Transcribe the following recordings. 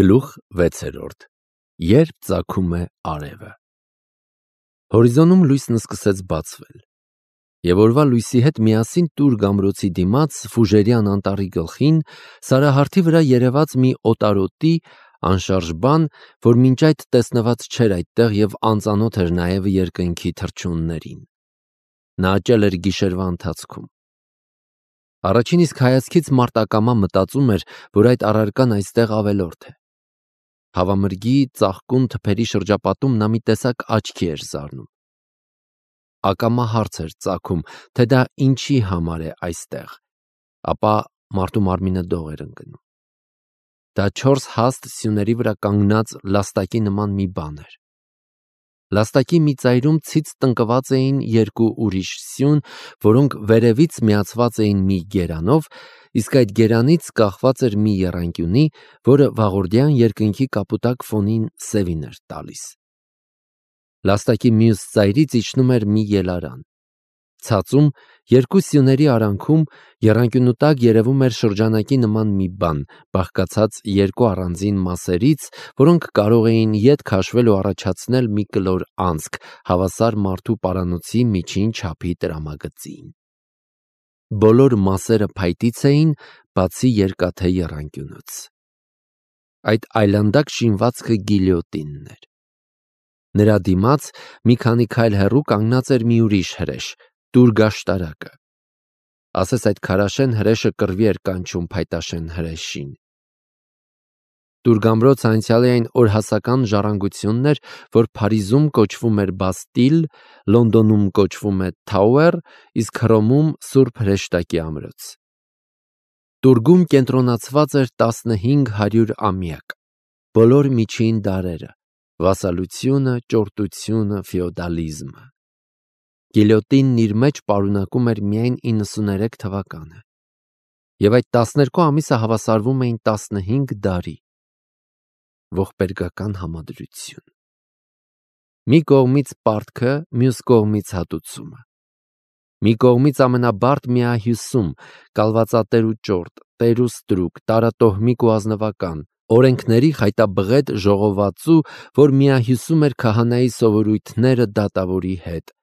Գլուխ 6. Երբ ծագում է արևը։ Հորիզոնում լույսն սկսեց բացվել, և օրվա լույսի հետ միասին Տուր գամրոցի դիմաց Ֆուժերյան անտառի գլխին սարահարթի վրա երևաց մի օտարոտի անշարժ բան, որ մինչ այդ տեսնված չէր այդտեղ և անծանոթ էր նաև երկնքի թռչուններին։ Նա աճել էր գիշերվա ընթացքում։ Առաջին իսկ հայացքից մարդ ակամա մտածում էր, որ այդ առարկան այստեղ ավելորդ է։ Հավամրգի ծաղկուն թփերի շրջապատում նա մի տեսակ աչքի էր զարնում։ Ակամա հարց էր ծագում, թե դա ինչի համար է այստեղ, ապա մարդու մարմինը դող էր ընկնում։ Դա 4 հաստ սյուների վրա կանգնած լաստակի նման մի բան էր։ Լաստակի մի ծայրում ցից տնկված էին 2 ուրիշ սյուն, որոնք վերևից միացված էին մի գերանով, իսկ այդ գերանից կախված էր մի եռանկյունի, որը վաղորդյան երկնքի կապուտակ ֆոնին սևին էր տալիս։ Լաստակի մյուս ծայրից իջնում էր մի ելարան։ Ցածում 2 սյուների արանքում եռանկյունու տակ երևում էր շրջանակի նման մի բան, բաղկացած 2 առանձին մասերից, որոնք կարող էին ետ քաշվել ու առաջացնել մի կլոր անցք, հավասար մարդու պարանոցի միջին չափի տրամագծին։ Բոլոր մասերը փայտից էին, բացի երկաթե եռանկյունուց։ Այդ այլանդակ շինվածքը գիլյոտինն էր։ Նրա դիմաց մի քանի քայլ հեռու կանգնած էր մի ուրիշ հրեշ, տուրգաշտարակը։ Ասես այդ քարաշեն հրեշը կռվի էր կանչում փայտաշեն հրեշին։ Տուրգամրոցը անցյալի այն օրհասական ժառանգությունն էր, որ Փարիզում կոչվում էր Բաստիլ, Լոնդոնում կոչվում է Թաուեր, իսկ Հռոմում Սուրբ Հրեշտակի ամրոց։ Տուրգում կենտրոնացված էր 1500 ամյակ, բոլոր միջին դարերը, վասալությունը, ճորտությունը, ֆեոդալիզմը։ Գիլյոտինն իր մեջ պարունակում էր միայն 93 թվականը, և այդ 12 ամիսը հավասարվում էին 15 դարի։ Ողբերգական համադրություն։ Մի կողմից պարտքը, մյուս կողմից հատուցումը։ Մի կողմից ամենաբարդ միահյուսում, կալվածատեր ու ճորտ, տեր ու ստրուկ, տարատոհմիկ ու ազնվական, օրենքների խայտաբղետ ժողովածու, որ միահյուսում էր քահանայի սովորույթները դատավորի հետ,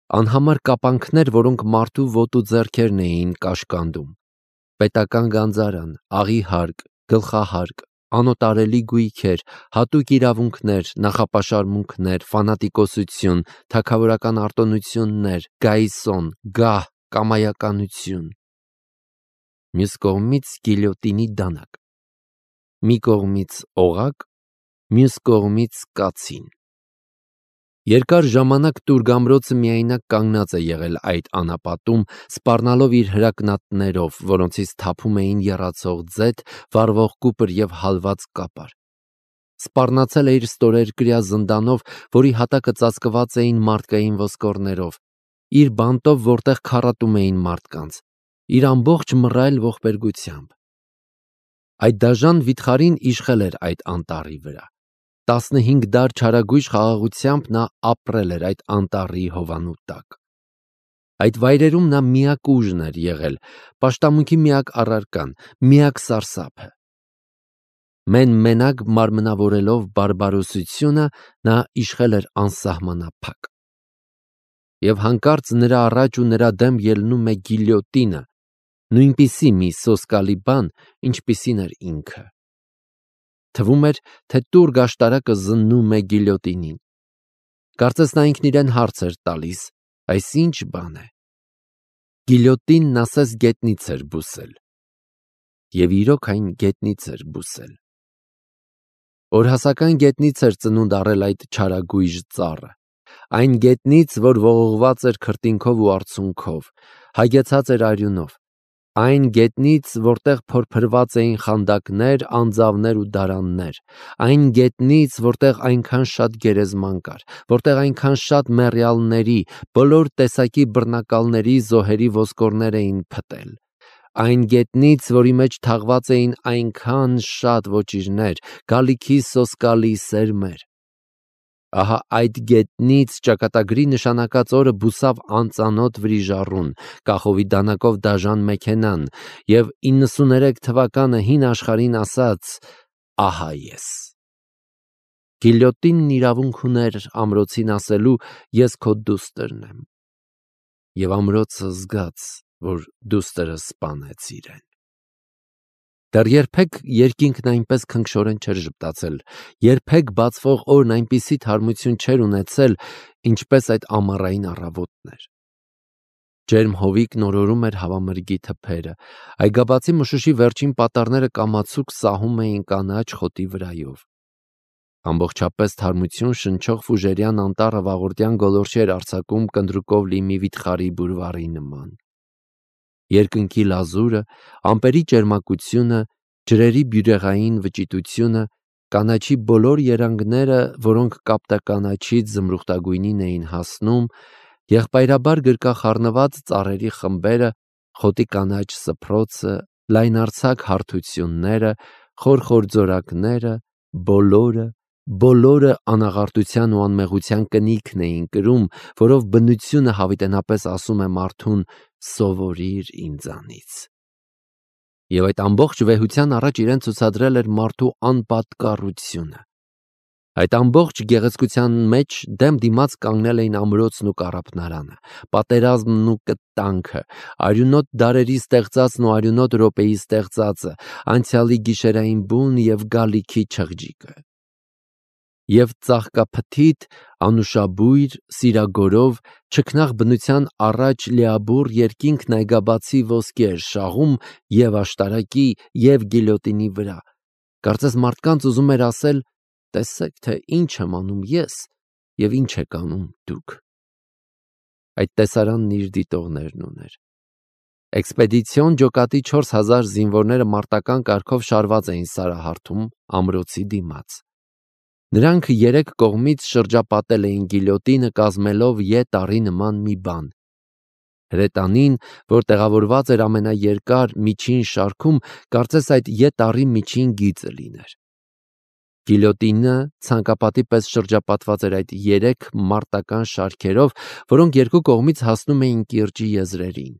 անհամար կապանքներ, որոնք մարդու ոտու ձեռքերն էին կաշկանդում, պետական գանձարան, աղի հարկ, գլխահարկ, անոտարելի գույքեր, հատուկ իրավունքներ, նախապաշարմունքներ, ֆանատիկոսություն, թագավորական արտոնություններ, գայսոն, գահ, կամայականություն։ Մյուս կողմից գիլյոտինի դանակ։ Մի կողմից օղակ, մյուս կողմից կացին։ Երկար ժամանակ տուրգամրոցը միայնակ կանգնած է եղել այդ անապատում, սպառնալով իր հրակնատներով, որոնցից թափում էին եռացող ձեթ, վառվող կուպր և հալված կապար։ Սպառնացել է իր ստորերկրյա զնդանով, որի հատակը ծածկված էին մարդկային ոսկորներով, իր բանտով, որտեղ քառատում էին մարդկանց, իր ամբողջ մռայլ ողբերգությամբ։ Այդ դաժան վիթխարին իշխել էր այդ անտառի վրա։ 15 դար չարագույժ խաղաղությամբ նա ապրել էր այդ անտառի հովանու տակ։ Այդ վայրերում նա միակ ուժն էր եղել, պաշտամունքի միակ առարկան, միակ սարսափը։ Մենակ մարմնավորելով բարբարոսությունը, նա իշխել էր անսահմանափակ։ Եվ հանկարծ նրա առաջ ու նրա դեմ ելնում է գիլյոտինը, նույնպիսի մի սոսկալի բան, ինչպիսին էր ինքը։ Թվում էր, թե տուրգաշտարակը զննում է գիլյոտինին։ Կարծես նա ինքն իրեն հարց էր տալիս. այս ինչ բան է։ Գիլյոտինն ասես գետնից էր բուսել։ Եվ իրոք այն գետնից էր բուսել։ Օրհասական գետնից էր ծնունդ առել այդ չարագույժ ծառը։ Այն գետնից, որ ողողված էր քրտինքով ու արցունքով, հագեցած էր արյունով։ Այն գետնից, որտեղ փորփրված էին խանդակներ, անձավներ ու դարաններ, այն գետնից, որտեղ այնքան շատ գերեզման կար, որտեղ այնքան շատ մեռյալների, բոլոր տեսակի բռնակալների զոհերի ոսկորներ էին փտել, այն գետնից, որի մեջ թաղված էին այնքան շատ ոճիրներ, գալիքի սոսկալի սերմեր։ Ահա այդ գետնից ճակատագրի նշանակած օրը բուսավ անծանոթ վրիժառուն, կախովի դանակով դաժան մեքենան, և 93 թվականը հին աշխարհին ասաց. ահա ես։ Գիլյոտինն իրավունք ուներ ամրոցին ասելու ես քո դուստրն եմ, և ամրոցը զգաց, որ դուստրը սպանեց իրեն։ Դեռ երբեք երկինքն այնպես քնքշորեն չէր ժպտացել, երբեք բացվող օրն այնպիսի թարմություն չէր ունեցել, ինչպես այդ ամառային առավոտն էր։ Ջերմ հովիկն օրորում էր հավամրգի թփերը, այգաբացի մշուշի վերջին պատառները կամացուկ սահում էին կանաչ խոտի վրայով։ Ամբողջապես թարմություն շնչող ֆուժերյան անտառը վաղորդյան գոլորշի էր արձակում կնդրուկով լի մի վիթխարի բուրվարի նման։ Երկնքի լազուրը, ամպերի ճերմակությունը, ջրերի բյուրեղային վճիտությունը, կանաչի բոլոր երանգները, որոնք կապտականաչից զմրուխտագույնին էին հասնում, եղբայրաբար գրկախառնված ծառերի խմբերը, խոտի կանաչ սփռոցը, լայնարձակ հարթությունները, խորխոր ձորակները, բոլորը անաղարտության ու անմեղության կնիքն էին կրում, որով բնությունը հավիտենապես ասում է մարդուն «սովորիր ինձանից»։ Եվ այդ ամբողջ վեհության առաջ իրեն ցուցադրել էր մարդու անպատկառությունը։ Այդ ամբողջ գեղեցկության մեջ դեմ դիմաց կանգնել էին ամրոցն ու կառափնարանը, պատերազմն ու կտանքը, արյունոտ դարերի ստեղծածն ու արյունոտ րոպեի ստեղծածը, անցյալի գիշերային բուն և գալիքի չղջիկը։ Եվ ծաղկափթիթ, անուշաբույր, սիրագորով, չքնաղ բնության առաջ լիաբուռ երկինքն այգաբացի ոսկի էր շաղում և աշտարակի, և գիլյոտինի վրա։ Կարծես մարդկանց ուզում էր ասել. «Տեսեք, թե ինչ եմ անում ես և ինչ եք անում դուք»։ Այդ տեսարանն իր դիտողներն ուներ։ Էքսպեդիցիոն ջոկատի 4000 զինվորները մարտական կարգով շարված էին սարահարթում ամրոցի դիմաց։ Նրանք երեք կողմից շրջապատել էին գիլյոտինը, կազմելով ե տարի նման մի բան։ Հրետանին, որ տեղավորված էր ամենաերկար միջին շարքում, կարծես այդ ե միջին գիծը լիներ։ Գիլյոտինը ցանկապատի պես շրջապատված էր այդ երեք մարտական շարքերով, որոնք երկու կողմից հասնում էին կիրճի եզրերին։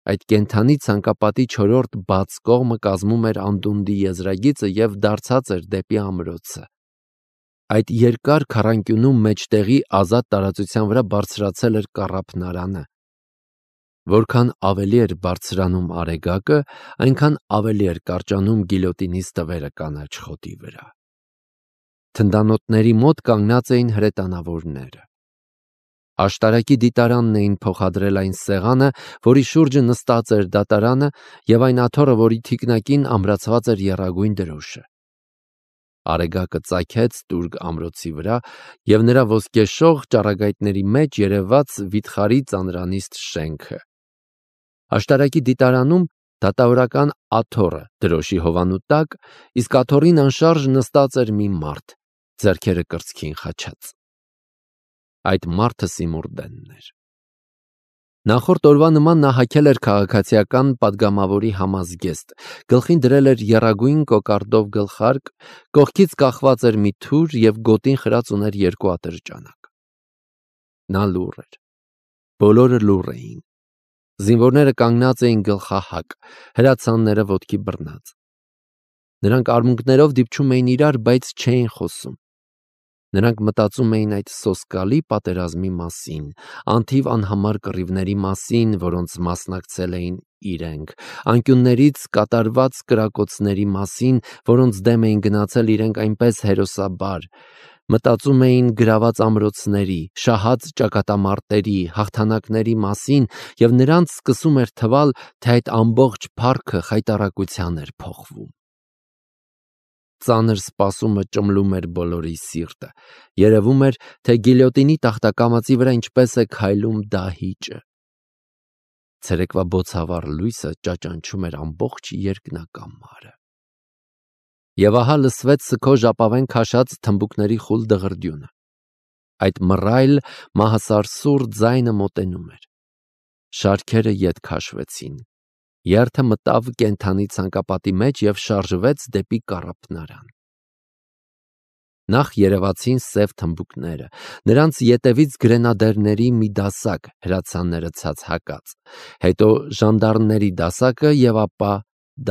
Այդ կենդանի ցանկապատի չորրորդ բաց կողմը կազմում էր անդունդի եզրագիծը և դարձած էր դեպի ամրոցը։ Այդ երկար քառանկյունում մեջտեղի ազատ տարածության վրա բարձրացել էր կառափնարանը։ Որքան ավելի էր բարձրանում արեգակը, այնքան ավելի էր կարճանում գիլյոտինի ստվերը կանաչ խոտի վրա։ Թնդանոթների մոտ կանգնած էին հրետանավորները։ Աշտարակի դիտարանն էին փոխադրել այն սեղանը, որի շուրջը նստած էր դատարանը, և այն աթոռը, որի թիկնակին ամրացված էր եռագույն դրոշը։ Արեգակը ծագեց տուրգ ամրոցի վրա, և նրա ոսկեշող ճառագայթների մեջ երևաց վիթխարի ծանրանիստ շենքը։ Աշտարակի դիտարանում դատավորական աթոռը դրոշի հովանու տակ, իսկ աթոռին անշարժ նստած էր մի մարդ, ձեռքերը կրծքին խաչած։ Այդ մարդը Սիմուրդենն էր։ Նախորդ օրվա նման նա հագել էր քաղաքացիական պատգամավորի համազգեստ, գլխին դրել էր եռագույն կոկարդով գլխարկ, կողքից կախված էր մի թուր և գոտին խրած ուներ երկու ատրճանակ։ Նա լուռ էր։ Բոլորը լուռ էին։ Զինվորները կանգնած էին գլխահակ, հրացանները ոտքի բռնած։ Նրանք արմունկներով դիպչում էին իրար, բայց չէին խոսում։ Նրանք մտածում էին այդ սոսկալի պատերազմի մասին, անթիվ անհամար կռիվների մասին, որոնց մասնակցել էին իրենք, անկյուններից կատարված կրակոցների մասին, որոնց դեմ էին գնացել իրենք այնպես հերոսաբար, մտածում էին գրաված ամրոցների, շահած ճակատամարտերի, հաղթանակների մասին, և նրանց սկսում էր թվալ, թե այդ ամբողջ փառքը խայտառակության էր փոխվում։ Ծանր սպասումը ճմլում էր բոլորի սիրտը։ Երևում էր, թե գիլյոտինի տախտակամածի վրա ինչպես է քայլում դահիճը։ Ցերեկվա բոցավառ լույսը ճաճանչում էր ամբողջ երկնակամարը։ Եվ ահա լսվեց սգո ժապավեն քաշած թմբուկների խուլ դղրդյունը։ Այդ մռայլ մահասարսուռ ձայնը մոտենում էր։ Շարքերը ետ քաշվեցին։ Երթը մտավ կենդանի ցանկապատի մեջ և շարժվեց դեպի կառափնարան։ Նախ երևացին սև թմբուկները, նրանց ետևից գրենադերների մի դասակ հրացանները ցած հակած, հետո ժանդարմների դասակը և ապա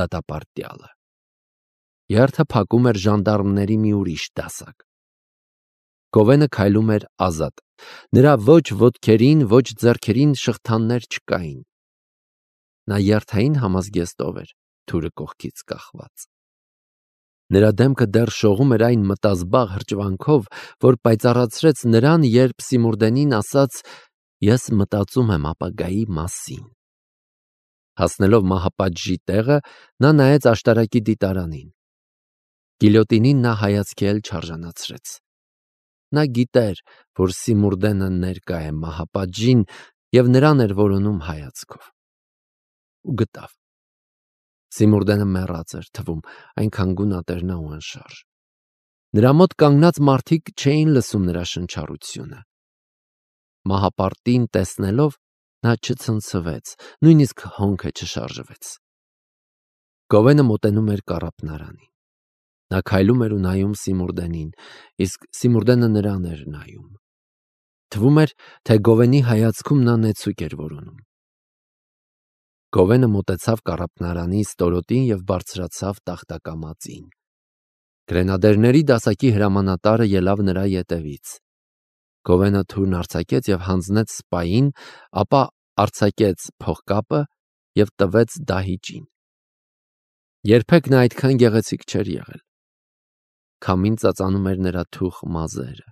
դատապարտյալը։ Երթը փակում էր ժանդարմների մի ուրիշ դասակ։ Գովենը քայլում էր ազատ։ Նրա ոչ ոտքերին, ոչ ձեռքերին շղթաներ չկային։ Նա երթային համազգեստով էր, թուրը կողքից կախված։ Նրա դեմքը դեռ շողում էր այն մտազբաղ հրճվանքով, որ պայծառացրեց նրան, երբ Սիմուրդենին ասաց. «Ես մտածում եմ ապագայի մասին»։ Հասնելով մահապատժի տեղը, նա նայեց աշտարակի դիտարանին։ Գիլյոտինին նա հայացքի էլ չարժանացրեց։ Նա գիտեր, որ Սիմուրդենը ներկա է մահապատժին և նրան էր որոնում հայացքով։ Ու գտավ։ Սիմուրդենը մեռած էր թվում, այնքան գունատերն ու անշարժ։ Նրա մոտ կանգնած մարդիկ չէին լսում նրա շնչառությունը։ Մահապարտին տեսնելով, նա չցնցվեց, նույնիսկ հոնքը չշարժվեց։ Գովենը մոտենում էր կառափնարանին։ Նա քայլում էր ու նայում Սիմուրդենին, իսկ Սիմուրդենը նրան էր նայում։ Թվում էր, թե Գովենի հայացքում նա նեցուկ էր որոնում։ Գովենը մոտեցավ կառափնարանի ստորոտին և բարձրացավ տախտակամածին։ Գրենադերների դասակի հրամանատարը ելավ նրա ետևից։ Գովենը թուրն արձակեց և հանձնեց սպային, ապա արձակեց փողկապը և տվեց դահիճին։ Երբեք նա այդքան գեղեցիկ չէր եղել։ Քամին ծածանում էր նրա թուխ մազերը։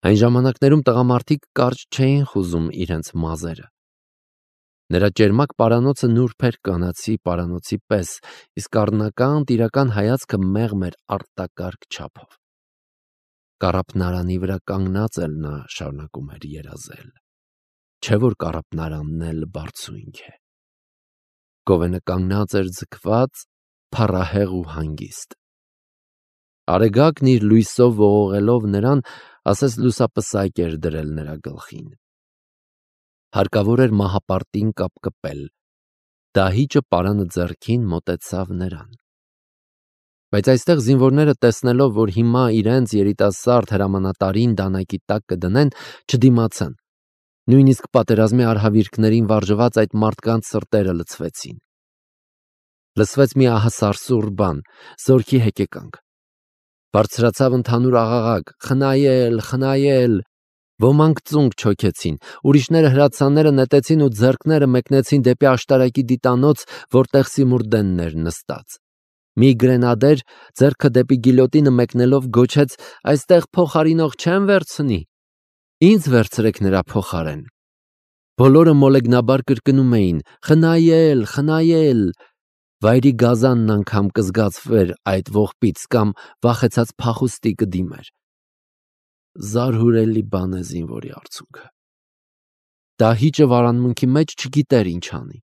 Այն ժամանակներում տղամարդիկ կարճ չէին խուզում իրենց մազերը։ Նրա ճերմակ պարանոցը նուրբ էր կանացի պարանոցի պես, իսկ առնական տիրական հայացքը մեղմ էր արտակարգ չափով։ Կառափնարանի վրա կանգնած էլ նա շարունակում էր երազել։ Չէ՞ որ կառափնարանն էլ բարձունք է։ Գովենը կանգնած էր ձգված, փառահեղ ու հանգիստ։ Արեգակն իր լույսով ողողելով նրան, ասես լուսապսակ էր դրել նրա գլխին։ Հարկավոր էր մահապարտին կապկպել։ Դահիճը պարանը ձեռքին մոտեցավ նրան։ Բայց այստեղ զինվորները տեսնելով, որ հիմա իրենց երիտասարդ հրամանատարին դանակի տակ կդնեն, չդիմացան։ Նույնիսկ պատերազմի արհավիրքներին վարժված այդ մարդկանց սրտերը լցվեցին։ Լսվեց մի ահասարսուռ բան, զորքի հեկեկանք։ Բարձրացավ ընդհանուր աղաղակ. «Խնայել, խնայել»։ Ոմանք ծունկ չոքեցին, ուրիշները հրացանները նետեցին ու ձեռքները մեկնեցին դեպի աշտարակի դիտանոց, որտեղ Սիմուրդենն էր նստած։ Մի գրենադեր, ձեռքը դեպի գիլյոտինը մեկնելով, գոչեց. «Այստեղ փոխարինող չեմ վերցնի»։ Ինձ վերցրեք նրա փոխարեն։ Բոլորը մոլեգնաբար կրկնում էին. «Խնայել, խնայել»։ Վայրի գազանն անգամ կզգացվեր այդ ողբից կամ վախեցած փախուստի կդիմեր։ Զարհուրելի բան է զինվորի արցունքը։ Դահիճը վարանմունքի մեջ չգիտեր ինչ անի։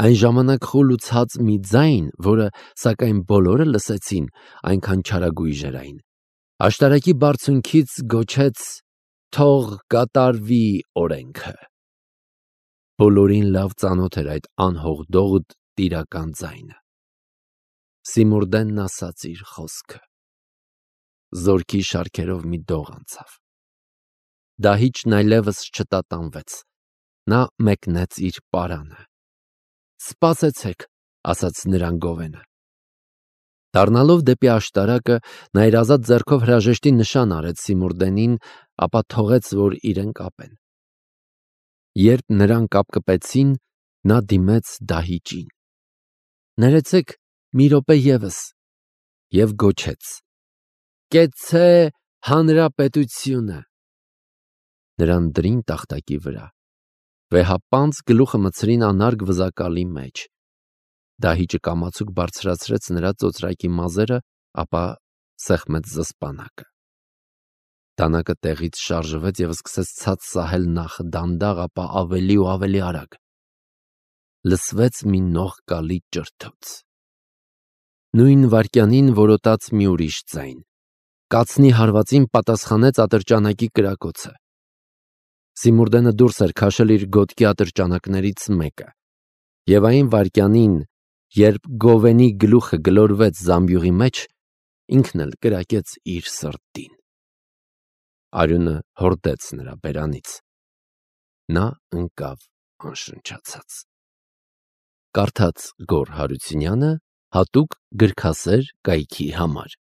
Այն ժամանակ խուլ ու ցած մի ձայն, որը սակայն բոլորը լսեցին, այնքան չարագույժ էր այն, աշտարակի բարձունքից գոչեց. «Թող կատարվի օրենքը»։ Բոլորին լավ ծանոթ էր այդ անհողդողդ տիրական ձայնը։ Սիմուրդենն ասաց իր խոսքը։ Զորքի շարքերով մի դող անցավ։ Դահիճն այլևս չտատանվեց։ Նա մեկնեց իր պարանը։ «Սպասեցեք», ասաց նրան Գովենը։ Դառնալով դեպի աշտարակը, նա իր ազատ ձեռքով հրաժեշտի նշան արեց Սիմուրդենին, ապա թողեց, որ իրեն կապեն։ Երբ նրան կապկպեցին, նա դիմեց դահիճին. «Ներեցեք մի րոպե ևս» և գոչեց. «Կեցցե հանրապետությունը»։ Նրան դրին տախտակի վրա։ Վեհապանծ գլուխը մտցրին անարգ վզակալի մեջ։ Դահիճը կամացուկ բարձրացրեց նրա ծոծրակի մազերը, ապա սեղմեց զսպանակը։ Դանակը տեղից շարժվեց և սկսեց ցած սահել նախ դանդաղ, ապա ավելի ու ավելի արագ։ Լսվեց մի նողկալի ճրթոց։ Նույն վայրկյանին որոտաց մի ուրիշ ձայն։ Կացնի հարվածին պատասխանեց ատրճանակի կրակոցը։ Սիմուրդենը դուրս էր քաշել իր գոտքի ատրճանակներից մեկը։ Եվ այն վայրկյանին, երբ Գովենի գլուխը գլորվեց զամբյուղի մեջ, ինքն էլ կրակեց իր սրտին։ Արյունը հորդեց նրա բերանից։ Նա ընկավ անշնչացած։ Կարդաց Գոռ Հարությունյանը, հատուկ գրքասեր կայքի համար։